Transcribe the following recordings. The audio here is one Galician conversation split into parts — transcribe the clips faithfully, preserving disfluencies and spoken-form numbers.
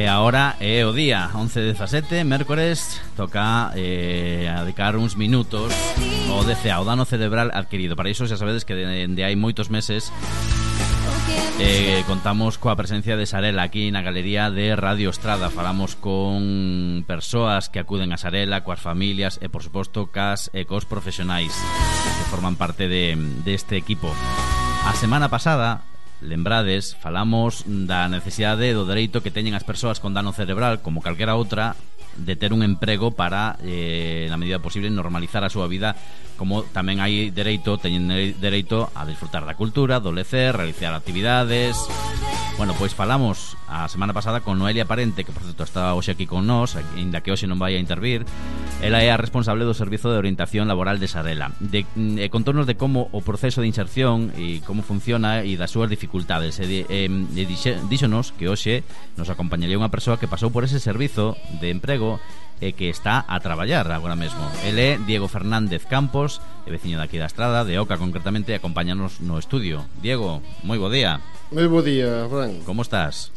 E agora é o día once dezasete, mércores. Toca eh, dedicar uns minutos ao D C A, o dano cerebral adquirido. Para iso xa sabedes que dende hai moitos meses eh, contamos coa presencia de Sarela aquí na galería de Radio Estrada. Falamos con persoas que acuden a Sarela, coas familias e, por suposto, cas e cos profesionais que forman parte de, de este equipo. A semana pasada, lembrades, falamos da necesidade do dereito que teñen as persoas con dano cerebral, como calquera outra, de ter un emprego para, eh, na medida posible, normalizar a súa vida, como tamén hai dereito, teñen dereito a disfrutar da cultura, do lecer, realizar actividades. Bueno, pois falamos a semana pasada con Noelia Parente, que por certo está hoxe aquí con nós, ainda que hoxe non vai a intervir. Ela é a responsable do Servizo de Orientación Laboral de Sarela. De, eh, contornos de como o proceso de inserción e como funciona e das súas dificultades. E, e, e dixe, díxonos que hoxe nos acompañaría unha persoa que pasou por ese servizo de emprego e que está a traballar agora mesmo. Ele é Diego Fernández Campos, é veciño daqui da Estrada, de Oca concretamente, e acompáñanos no estudio. Diego, moi bo día. Moi bo día, Fran. Como estás?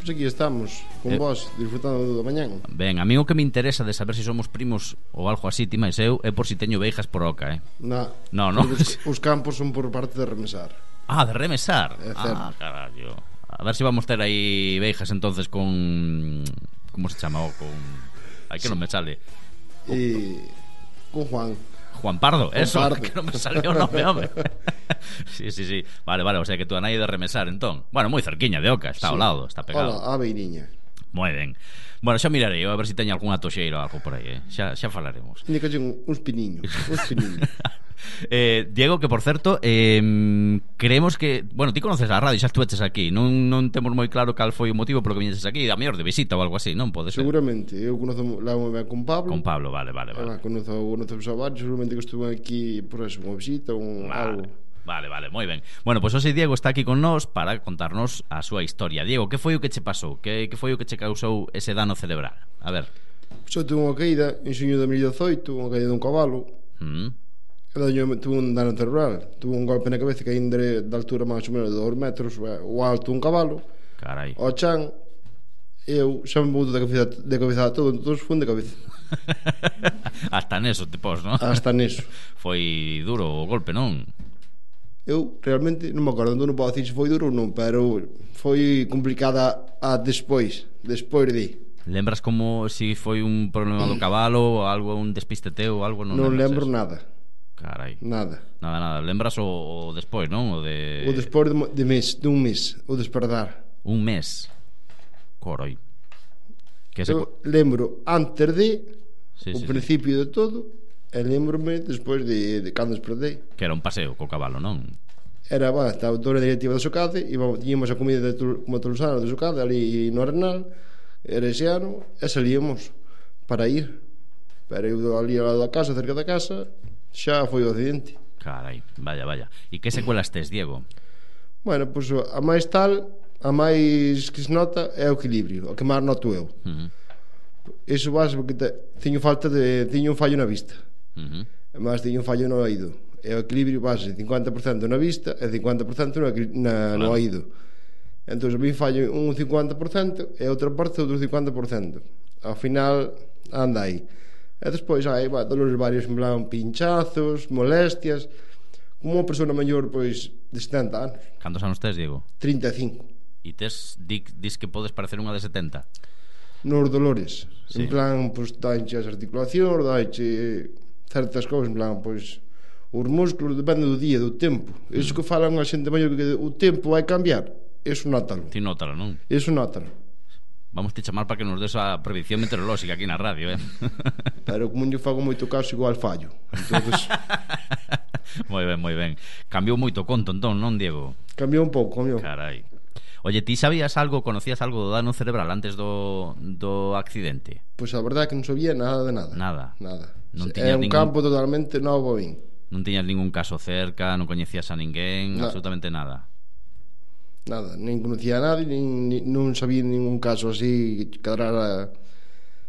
Pois aquí estamos, con eh... vos, disfrutando do mañán. Ben, a mí o que me interesa de saber se si somos primos ou algo así, ti máis eu, é por si teño veixas por Oca, eh? Na, no, no. Os, os campos son por parte de Remesar. Ah, de Remesar? É certo. Ah, carallo. A ver se si vamos ter aí veixas entonces con... Como se chama? O con... Ai, que sí. Non me sale. E... Con Juan. Juan Pardo, Juan eso, Pardo. Que non me salió o nome, home. Sí, sí, sí. Vale, vale, o sea que tú a nai de Remesar, entón. Bueno, moi cerquiña de Oca, está sí. Ao lado, está pegado. Hola, a beiriña. Moi ben. Bueno, xa mirarei, a ver se si teño algunha toxeira ou algo por aí, eh? Xa, xa falaremos. Indica uns piniños, uns piniños. eh, Diego, que por certo, eh, creemos que, bueno, ti conoces a radio, xa estuveches aquí. Non, non temos moi claro cal foi o motivo polo que viñeses aquí, a mellor de visita ou algo así, non pode ser? Seguramente, eu conozo lá con Pablo. Con Pablo, vale, vale, vale. Ah, conozo conozo a varios, seguramente que estuve aquí por eso, unha visita ou vale. Algo. Vale, vale, moi ben. Bueno, pois pues hoxe Diego está aquí con nós para contarnos a súa historia. Diego, que foi o que che pasou? Que, que foi o que che causou ese dano cerebral? A ver. Pois eu tuve unha caída en xuño de dos mil dezoito, unha caída dun cabalo. Mm. Eu tuve un dano cerebral. Tuve un golpe na cabeza que aí de altura máis ou menos de dos metros, o alto un cabalo. Carai. O chan, eu xa me mudo de cabeza, de cabeza a todo, todos fun de cabeza. Hasta neso te pos, non? Hasta neso. Foi duro o golpe, non? Eu realmente non me acordo, non podo dicir se foi duro ou non, pero foi complicada a despois, despois de. Lembras como se si foi un problema do cabalo ou algo, un despiste teu ou algo? Non, non lembro eso? Nada. Carai. Nada. Nada, nada. Lembras o, o despois, non? O de O despois de, de mes, dun mes, o despertar. Un mes. Coroi. Que se... Eu lembro antes de sí, o sí, principio sí. de todo. E lembro-me despois de, de cando despertei. Que era un paseo co cabalo, non? Era, va, estaba toda a directiva da Socade, íbamos a comida de, como a Tolosana da Socade, ali no Arenal, era ese ano, e salíamos para ir. Pero eu ali ao lado da casa, cerca da casa, xa foi o accidente. Carai, vaya, vaya. E que secuelas tes, Diego? Bueno, pois pues, a máis tal, a máis que se nota é o equilibrio, o que máis noto eu. Uh -huh. Iso base porque te, teño falta de, teño un fallo na vista. Uh -huh. Mas teño un fallo no oído. E o equilibrio base cincuenta por cento na vista e cincuenta por cento na, na, no oído. Entón, a mí fallo un cincuenta por cento e outra parte outro cincuenta por cento. Ao final anda aí. E despois hai va, dolores varios, en plan pinchazos, molestias. Como unha persona maior, pois, de setenta anos. Cantos anos tes, Diego? trinta e cinco. E tes, di, dis que podes parecer unha de setenta? Nos dolores, sí. En plan, pois, daiche as articulacións, daiche certas cousas, en plan, pois os músculos, depende do día, do tempo. Mm. Iso que falan a xente maior que o tempo vai cambiar, iso nótalo. Ti nótalo, non? Iso nótalo. Vamos te chamar para que nos des a predicción meteorolóxica aquí na radio, eh? Pero como eu fago moito caso, igual fallo. Entonces... moi ben, moi ben. Cambiou moito conto, entón, non, Diego? Cambiou un pouco, cambiou. Carai. Oye, ti sabías algo, conocías algo do dano cerebral antes do, do accidente? Pois a verdade é que non sabía nada de nada. Nada? Nada. Non é un ningún... campo totalmente novo a min. Non tiñas ningún caso cerca, non coñecías a ninguén, no. Absolutamente nada. Nada, nin conocía a nadie, nin, nin, non sabía ningún caso así que quedara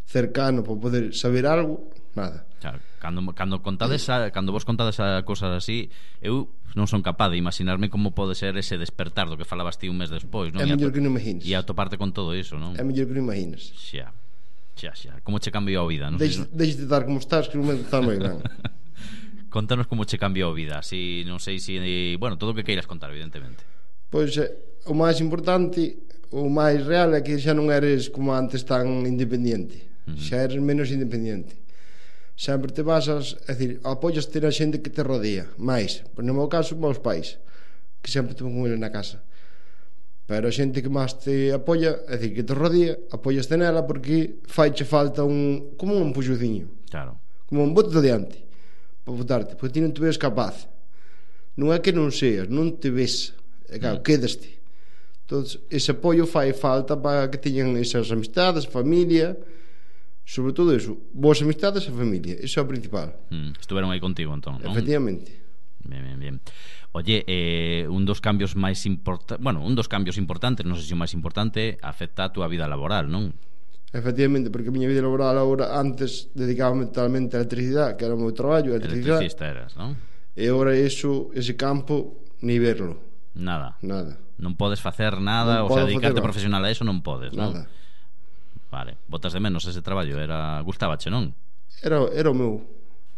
cercano para poder saber algo. nada. Claro, cando, cando contades a, cando vos contades a cosas así, eu non son capaz de imaginarme como pode ser ese despertar do que falabas ti un mes despois, non? É mellor que non imaginas. E atoparte con todo iso, non? É mellor que non imaginas. Xa, xa, xa. Como che cambiou a vida, non? Deixe de estar como estás, que non me está moi ben. Contanos como che cambiou a vida, así, non sei se, bueno, todo o que queiras contar, evidentemente. Pois eh, o máis importante, o máis real é que xa non eres como antes tan independiente. Uh -huh. Xa eres menos independiente. Sempre te basas, é dicir, apoias ter a xente que te rodea máis, por no meu caso, meus pais, que sempre te con eles na casa. Pero a xente que máis te apoia, é dicir, que te rodea, apoiaste nela porque faiche falta un, como un empuxociño, claro, como un bote de diante para botarte, porque ti non te ves capaz. Non é que non seas, non te ves, é claro, mm. quedaste. Entón, ese apoio fai falta para que teñan esas amistades, familia, sobre todo eso, boas amistades e familia, eso é o principal. Mm, estuveron aí contigo, entón, non? Efectivamente. Bien, bien, bien. Oye, eh, un dos cambios máis importantes, bueno, un dos cambios importantes, non sei se o máis importante, afecta a túa vida laboral, non? Efectivamente, porque a miña vida laboral agora, antes dedicábame totalmente a electricidade, que era o meu traballo, a electricidade. Electricista eras, non? E agora eso, ese campo, ni verlo. Nada. Nada. Non podes facer nada, non o sea, dedicarte profesional a eso non podes, non? Nada. Vale, botas de menos ese traballo, era gustábache, non? Era, era o meu.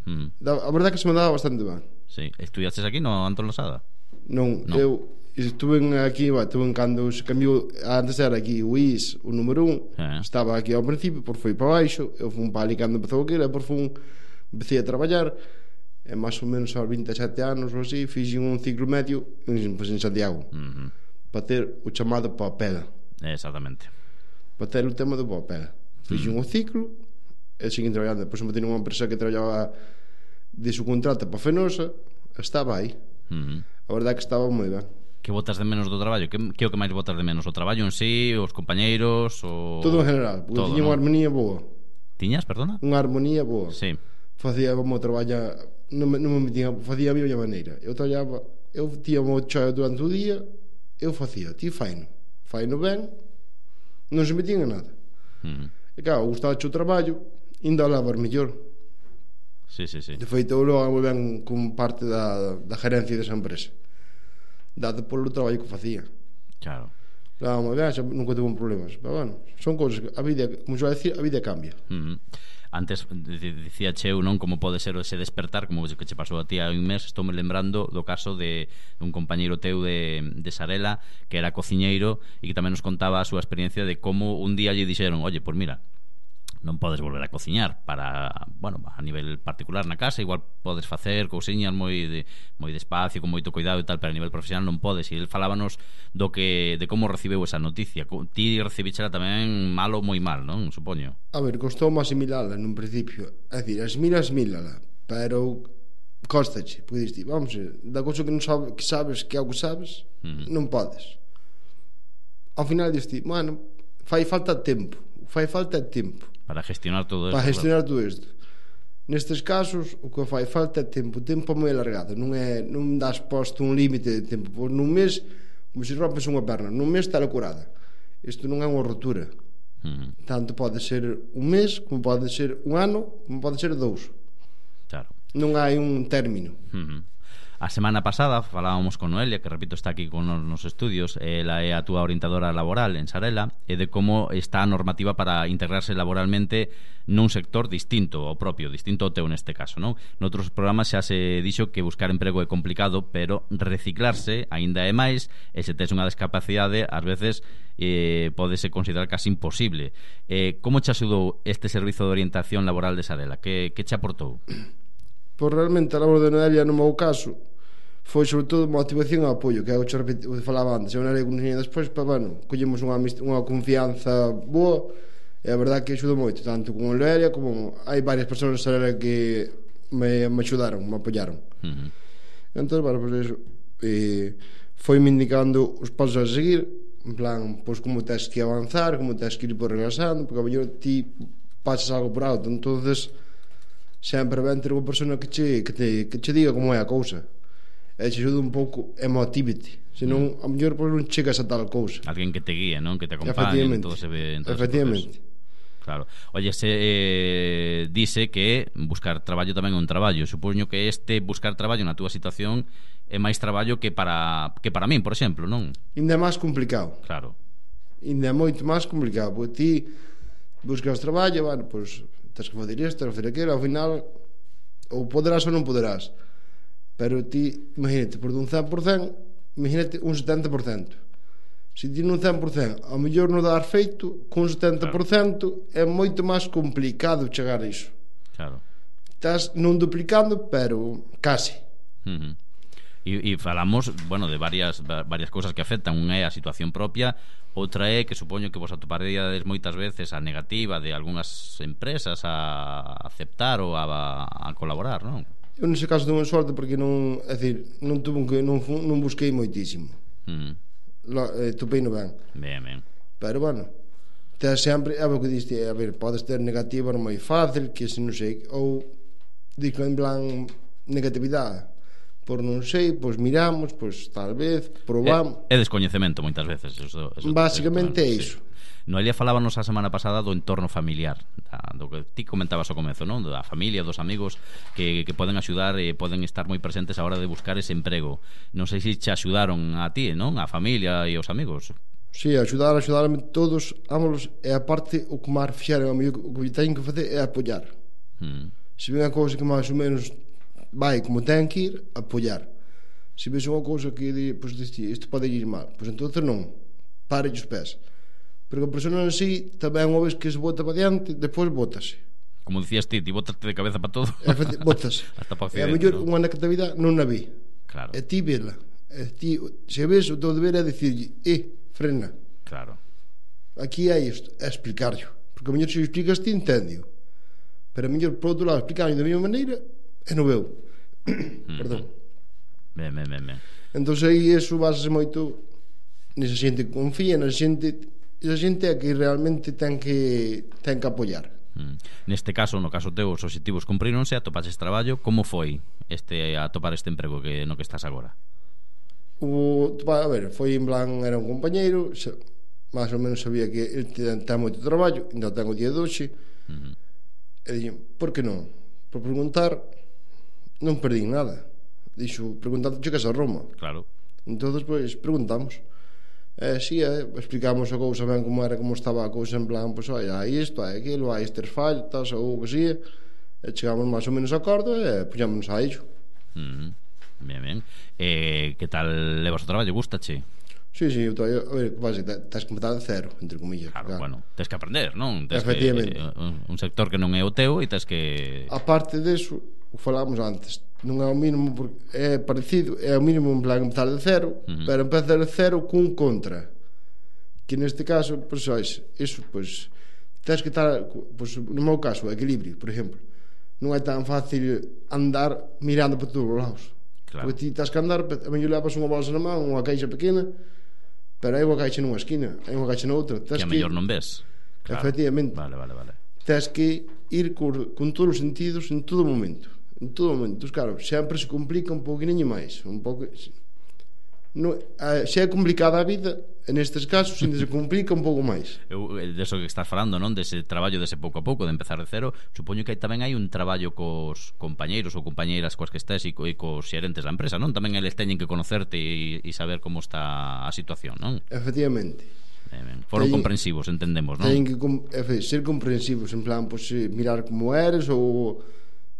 Mm. A verdade que se me daba bastante ben. Sí, estudiaches aquí no Antón Losada? Non, no. eu estuve aquí, va, estuve en cando se cambiou, antes era aquí o I S, o número un, eh. estaba aquí ao principio, por foi para baixo, eu fui para ali cando empezou aquilo, e por fui empecé a traballar, e máis ou menos aos vinte e sete anos ou así, fixe un ciclo medio en, pues, en Santiago, uh -huh. para ter o chamado papel. Exactamente. Para ter o tema do papel. Fixe uh -huh. un ciclo, e seguín traballando. Depois me tenho unha empresa que traballaba de su contrata para Fenosa, estaba aí. Uh -huh. A verdade que estaba moi ben. Que botas de menos do traballo? Que, que é o que máis botas de menos? O traballo en sí, os compañeiros, o... Todo en general, porque tiña unha armonía boa. Tiñas, perdona? Unha armonía boa. Sí. Facía como traballa, non me, non me metía, facía a miña maneira. Eu traballaba, eu tía o chao durante o día, eu facía, ti faino. Faino ben, non se metían en nada. Mm. E claro, gustaba o traballo, ainda lavar mellor. Sí, sí, sí. De feito, eu logo moi ben como parte da, da gerencia desa empresa, dado polo traballo que facía. Claro. Claro, moi ben, nunca tuve problemas. Pero bueno, son cousas que a vida, como se vai decir, a vida cambia. Mm. Antes dicía Cheu, non, como pode ser ese despertar, como que che pasou a ti hai un mes. Estou me lembrando do caso de un compañeiro teu de, de Sarela, que era cociñeiro e que tamén nos contaba a súa experiencia de como un día lle dixeron: oye, pois pues mira, non podes volver a cociñar para, bueno, a nivel particular na casa, igual podes facer cousiñas moi de, moi despacio, con moito cuidado e tal, pero a nivel profesional non podes. E ele falábanos do que, de como recibeu esa noticia. Ti recibíchela tamén malo, moi mal, non? Supoño. A ver, costou asimilala nun principio. É dicir, asimila, asimilala, pero costache, porque diste, vamos, da cousa que non sabe, que sabes que é o que sabes, uh -huh. non podes. Ao final diste, bueno, fai falta tempo, fai falta tempo para gestionar todo isto. Para gestionar todo isto. Nestes casos, o que fai falta é tempo, tempo moi alargado, non é, non das posto un límite de tempo, pois nun mes, como se rompes unha perna, nun mes está curada. Isto non é unha rotura. Uh -huh. Tanto pode ser un mes, como pode ser un ano, como pode ser dous. Claro. Non hai un término. Uh -huh. A semana pasada falábamos con Noelia, que repito está aquí con nos estudios. Ela é a túa orientadora laboral en Sarela, e de como está a normativa para integrarse laboralmente nun sector distinto ao propio, distinto ao teu neste caso, non? Noutros programas xa se dixo que buscar emprego é complicado, pero reciclarse aínda é máis, e se tes unha discapacidade ás veces eh, podese considerar casi imposible. Eh, como che axudou este servizo de orientación laboral de Sarela? Que, que che aportou? Pois realmente a labor de Noelia no meu caso foi sobre todo motivación e apoio, que é o que falaba antes. Eu non era conhecida despois, pero bueno, collemos unha, unha confianza boa, e a verdade que axudou moito, tanto con Noelia como hai varias persoas que me, me axudaron, me apoyaron. Uh -huh. Entón, bueno, pues eso, eh, foi me indicando os pasos a seguir, en plan, pois como tens que avanzar, como tens que ir por regresando, porque a mellor ti pasas algo por alto, entonces sempre ben ter unha persona que che, que te, que che diga como é a cousa, e te ajuda un pouco, e motívate, senón mm. a mellor pois non chegas a tal cousa. Alguén que te guíe, non? Que te acompañe en todo ese, en todo efectivamente. Ese Claro. Oye, se eh, dice que buscar traballo tamén é un traballo. Supoño que este buscar traballo na túa situación é máis traballo que para que para min, por exemplo, non? Ainda é máis complicado. Claro. Ainda é moito máis complicado, porque ti buscas traballo, bueno, pois tens que fazer isto, tens que fazer aquilo, ao final ou poderás ou non poderás. Pero ti, imagínate, por un cen por cen, imagínate un setenta por cento. Se ti nun cen por cen ao mellor non dar feito, con un setenta por cento claro. É moito máis complicado chegar a iso. Claro. Estás non duplicando, pero casi. Uh-huh. E, e falamos, bueno, de varias varias cousas que afectan. Unha é a situación propia, outra é que supoño que vos atoparedes moitas veces a negativa de algunhas empresas a aceptar ou a, a colaborar, non? Eu nese caso tenho sorte porque non, é dicir, non tuve que non, non busquei moitísimo. Uh-huh. Eh, topei no ben. Ben, ben. Pero bueno, te sempre é o que diste, a ver, podes ter negativa non moi fácil, que se non sei, ou dico en plan negatividade, por non sei, pois miramos, pois tal vez probamos. É, é descoñecemento moitas veces, eso, eso, basicamente é iso. Sí. Noelia falábanos a semana pasada do entorno familiar, da, do que ti comentabas ao comezo, non? Da familia, dos amigos que, que poden axudar e poden estar moi presentes a hora de buscar ese emprego. Non sei se te axudaron a ti, non? A familia e os amigos. Si, sí, axudar, axudarme todos, ámolos, e a parte o que máis fixeron a mí, o que teño que facer é apoiar. Hmm. Se ven a cousa que máis ou menos vai como ten que ir, apoiar. Se ves unha cousa que di, pois, disti, isto pode ir mal, pois entonces non, pare os pés. Porque a persona en sí tamén unha vez que se bota para diante, depois bótase. Como dicías ti, ti botaste de cabeza para todo. Bótase. Hasta para accidente. E a mellor unha negatividade non a vi. Claro. E ti vela. E ti, se ves, o teu deber é dicirlle, eh, frena. Claro. Aquí é isto, é explicarlo. Porque a mellor se explicas ti, entendio. Pero a mellor, por outro lado, explicarlo da mesma maneira, é no veu. Mm-hmm. Perdón. Ben, ben, ben, ben. Entón aí, eso base moito nesa xente que confía, nesa xente... a xente é que realmente ten que ten que apoiar. Mm. Neste caso, no caso teu, os obxectivos cumpríronse, atopaches traballo. Como foi este atopar este emprego que no que estás agora? O, a ver, foi en plan, era un compañeiro, máis ou menos sabía que ele ten, ten moito traballo, ainda ten o día de hoxe. Uh-huh. E dixen, por que non? Por preguntar non perdín nada. Dixo, preguntando, chegas a Roma. Claro. Entón, pois, preguntamos. Eh, si, eh, explicamos a cousa ben como era, como estaba a cousa en plan, pois, pues, hai isto, hai aquilo, hai estes faltas ou o que sea, e chegamos máis ou menos a acordo e puxámonos a ello. Mm, ben, ben. Eh, que tal levas o traballo? Gústache? Si, si, eu, a ver, que tens que empezar de cero, entre comillas. Claro, claro. Bueno, tens que aprender, non? Tens efectivamente. Que, un, un sector que non é o teu e tens que... A parte deso, o falábamos antes, non é o mínimo, porque é parecido, é o mínimo en plan empezar de cero, uh-huh. pero empezar de cero cun contra, que neste caso, pois, pues, iso, pois, pues, tens que estar, pois, pues, no meu caso, equilibrio, por exemplo, non é tan fácil andar mirando para todos os lados, claro. Porque ti tens que andar, a mellor levas unha bolsa na mão, unha caixa pequena, pero hai unha caixa nunha esquina, hai unha caixa na outra, tens que a mellor non ves, claro. Efectivamente, vale, vale, vale. Tens que ir con, con todos os sentidos en todo momento. En todo momento, claro, sempre se complica un pouquinho máis, un pouco. No, se é complicada a vida, nestes casos, se se complica un pouco máis. Eu, deso que estás falando, non? Dese traballo dese pouco a pouco, de empezar de cero, supoño que tamén hai un traballo cos compañeiros ou compañeiras coas que estés e, co, e cos xerentes da empresa, non? Tamén eles teñen que conocerte e, e saber como está a situación, non? Efectivamente. Ben, foron ten, comprensivos, entendemos, non? Ten que ser comprensivos, en plan, pues, mirar como eres ou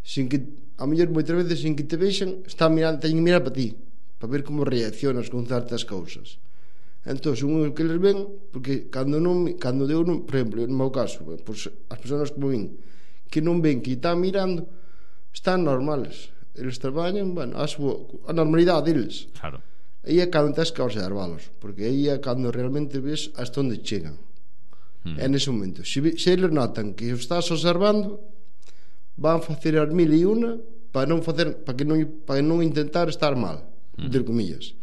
sin que, a mellor moitas veces sin que te vexan, está mirando, teñen que mirar para ti, para ver como reaccionas con certas cousas. Entón, un que les ven, porque cando non, cando deu, non, por exemplo, no meu caso, pues, as persoas como vin que non ven que están mirando, están normales. Eles traballan, bueno, a, súa, a normalidade deles. Claro. Aí é cando tens que observalos, porque aí é cando realmente ves hasta onde chegan. Mm. É nese momento. Se, se eles notan que o estás observando, van facer as mil e una para non facer, para que non, para non intentar estar mal, mm. entre comillas.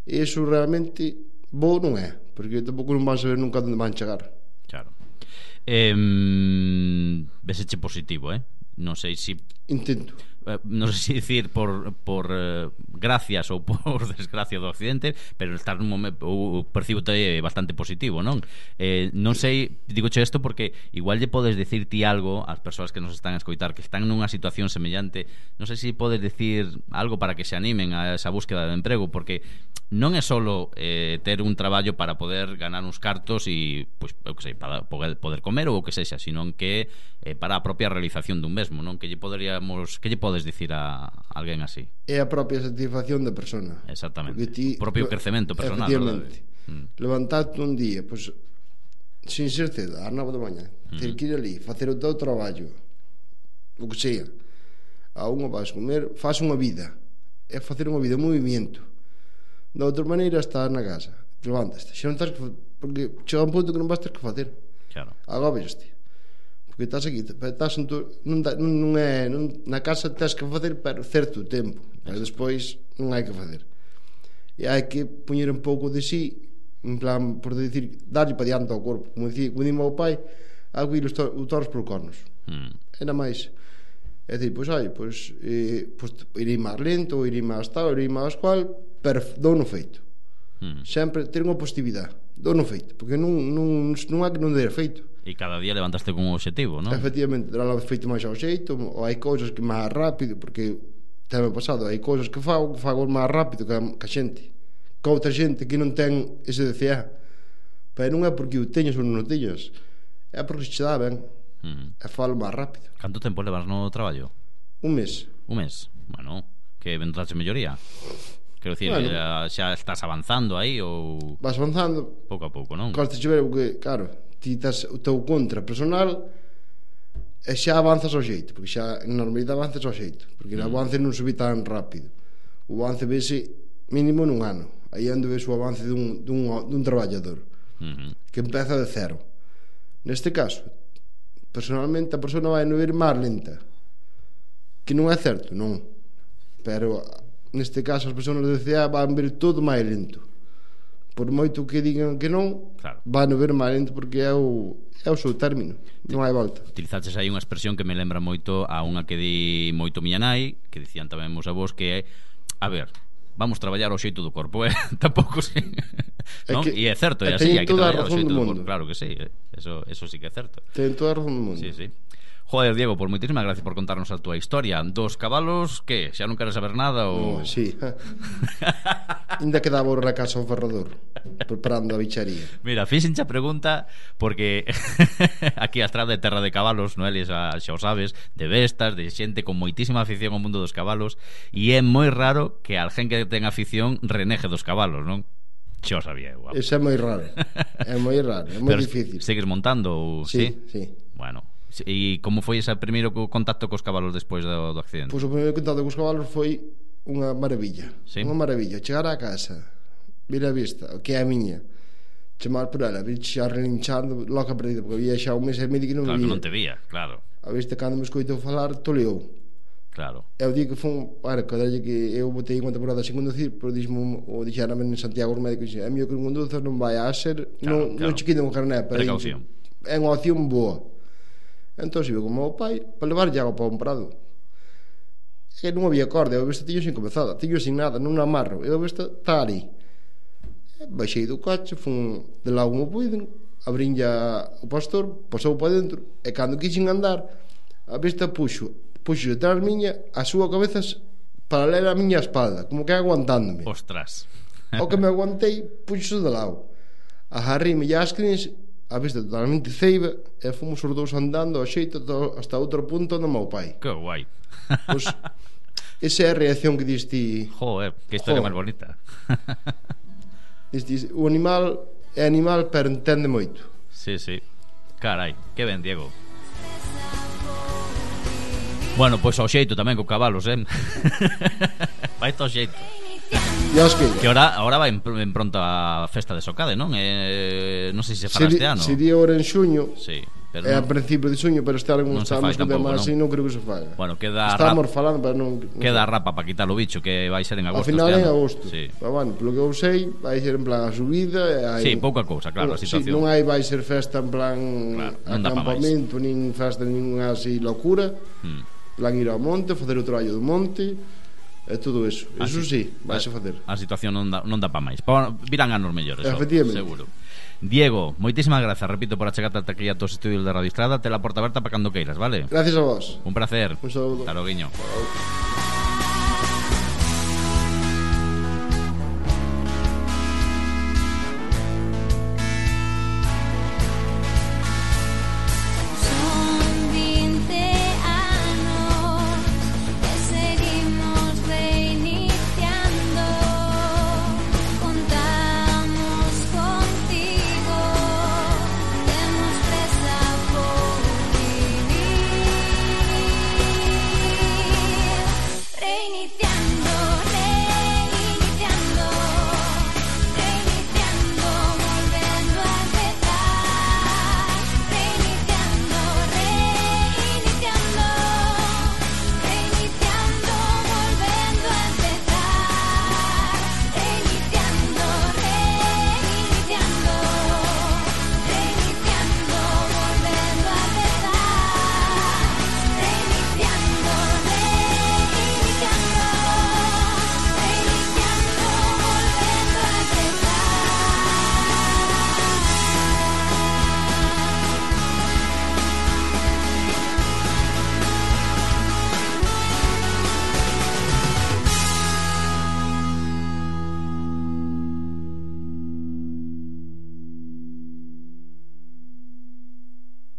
E iso realmente bo non é, porque tampouco non van saber nunca onde van chegar. Claro. Eh, veseche positivo, eh? Non sei se... Intento. eh, non sei se dicir por, por eh, gracias ou por desgracia do accidente, pero estar nun momento, o percibo bastante positivo, non? Eh, non sei, digoche isto porque igual lle podes dicir ti algo ás persoas que nos están a escoitar, que están nunha situación semellante. Non sei se podes dicir algo para que se animen a esa búsqueda de emprego, porque non é solo eh, ter un traballo para poder ganar uns cartos e, pois, eu que sei, para poder, poder comer ou o que sexa, sino que eh, para a propia realización dun mesmo, non? Que lle poderíamos, que lle podes dicir a alguén así? É a propia satisfacción da persona. Exactamente. Ti, o propio crecemento personal, efectivamente, mm. levantarte un día, pois, sin ser cedo, ás nove da mañá, mm. ter que ir ali, facer o teu traballo, o que sea, a unha vas comer, faz unha vida, é facer unha vida, un movimento. Da outra maneira estás na casa, te levantas, xa non estás que, porque chega un punto que non vas ter que facer. Claro. Agobiaste. Porque estás aquí, estás en tu, non, non é, non, na casa tens que facer para certo tempo, pero despois non hai que facer. E hai que poñer un pouco de sí, en plan, por decir, darlle para diante ao corpo, como dicía, como dime ao pai, aguir os toros por cornos. Mm. Era máis. É dicir, pois, ai, pois, eh, pois irei máis lento, ou irei máis tal, irei máis cual, pero dou no feito. Mm. Sempre ter unha positividade, dou no feito, porque non, non, non é que non dera feito. E cada día levantaste con un objetivo, non? Efectivamente, dará o feito máis ao xeito, ou hai cousas que máis rápido, porque teme pasado, hai cousas que fago que fago máis rápido que a, que a xente, que outra xente que non ten ese D C A, pero non é porque o teñas ou non o teñas, é porque se dá ben. Mm. E falo máis rápido. Canto tempo levas no traballo? Un mes. Un mes? Bueno, que vendrás de melloría. Quero dicir, bueno, xa, xa estás avanzando aí ou... Vas avanzando pouco a pouco, non? Costa chover, porque, claro, ti estás o teu contra personal e xa avanzas ao xeito, porque xa en normalidade avanzas ao xeito, porque mm. o avance non subi tan rápido. O avance vese mínimo nun ano. Aí ando ves o avance dun, dun, dun traballador mm-hmm. que empeza de cero. Neste caso, personalmente a persona vai no ir máis lenta, que non é certo, non, pero neste caso as persoas de D C A van ver todo máis lento, por moito que digan que non, claro. Van ver máis lento porque é o, é o seu término, non hai volta. Utilizaches aí unha expresión que me lembra moito a unha que di moito miña nai, que dicían tamén meus avós, que é, a ver, vamos traballar ao xeito do corpo, eh? Tampouco si. Non? E é certo, é así, hai que traballar ao xeito do corpo. Claro que sí, eso, eso sí que é certo. Ten toda a razón do mundo. Sí, sí. Joder, Diego, por moitísimas gracias por contarnos a túa historia. Dos cabalos, que? Xa non queres saber nada ou... Oh, sí. Ainda quedaba na casa ao ferrador preparando a bicharía. Mira, fixenche a pregunta porque aquí a estrada é terra de cabalos, non é? Xa, xa o sabes, de bestas, de xente con moitísima afición ao mundo dos cabalos, e é moi raro que alguén que ten afición reneje dos cabalos, non? Xa o sabía, guapo. Eso é moi raro. É moi raro, é moi difícil. Segues montando ou... Sí, sí, sí. Bueno, e como foi ese primeiro contacto cos cabalos despois do, do accidente? Pois o primeiro contacto cos cabalos foi unha maravilla. ¿Sí? Unha maravilla. Chegar á casa, vir a vista, que é a miña, chamar por ela, vir xa relinchando, loca perdida, porque había xa un mes e medio que non claro, me vía. Claro que non te vía, claro. A vista, cando me escoitou falar, toleou. Claro. É o día que fun, bueno, cadralle que eu botei unha temporada sin conducir, pero dixmo, o dixérame en Santiago os médicos, é mío que non conduzas, non vai a ser, claro, non, claro. Non che quiten un carné, pero precaución. É unha opción boa. Entón, se iba con o meu pai para levar lle agua para un prado. E non había corda, eu a vista tiño sin comezada, tiño sin nada, non amarro, eu a vista está ali. E baixei do coche, fun de lá como puiden, abrín ya o pastor, pasou para dentro, e cando quixen andar, a vista puxo puxo detrás miña a súa cabeza paralela a miña espalda, como que aguantándome. Ostras. O que me aguantei, puxo de lado. Agarrime as crines, a vista totalmente ceiba, e fomos os dous andando ao xeito hasta outro punto do meu pai. Que guai. Pois, esa é a reacción que diste. Joder, que historia máis bonita. Diste, o animal é animal, pero entende moito. Sí, sí. Carai, que ben, Diego. Bueno, pois ao xeito tamén co cabalos, eh. Vai ao xeito. Que ahora, ahora vai en, en pronto a festa de Socade, non? Eh, non sei se se fará Seri, este ano. Sería ahora en xuño. Sí, pero é non, a principio de xuño, pero este ano non estamos con demais e non creo que se faga. Bueno, queda estamos rap, falando, pero non, non queda rapa para quitar o bicho, que vai ser en agosto. Ao final este en ano. agosto. Sí. Pero bueno, polo que eu sei, vai ser en plan a subida, hai, sí, pouca cousa, claro, a situación. Sí, non hai vai ser festa en plan claro, acampamento, nin festa nin así locura. Hmm. plan ir ao monte, facer o traballo do monte e todo eso. Eso sí, vais a facer. A situación non dá, non dá pa máis. Pa, virán anos mellores, efectivamente, seguro. Diego, moitísimas grazas, repito, por achegarte ata aquí a tos estudios de Radio Estrada. Te la porta aberta para cando queiras, vale? Gracias a vos. Un placer. Un saludo. Hasta loguiño.